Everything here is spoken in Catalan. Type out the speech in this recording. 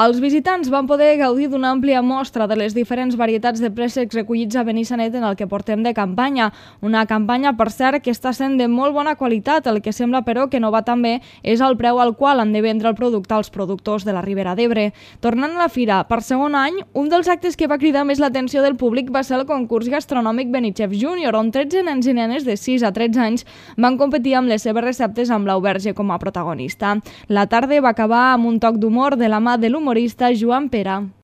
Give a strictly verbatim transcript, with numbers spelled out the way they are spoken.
Els visitants van poder gaudir d'una àmplia mostra de les diferents varietats de préssecs recollits a Benissanet en el que portem de campanya. Una campanya, per cert, que està sent de molt bona qualitat. El que sembla, però, que no va tan bé és el preu al qual han de vendre el producte als productors de la Ribera d'Ebre. Tornant a la fira, per segon any, un dels actes que va cridar més l'atenció del públic va ser el concurs gastronòmic Benichef Júnior, on tretze nens i nenes de sis a tretze anys van competir amb les seves receptes amb Blau Verge com a protagonista. La tarda va acabar amb un toc d'humor de la mà de l'humorista Joan Pera.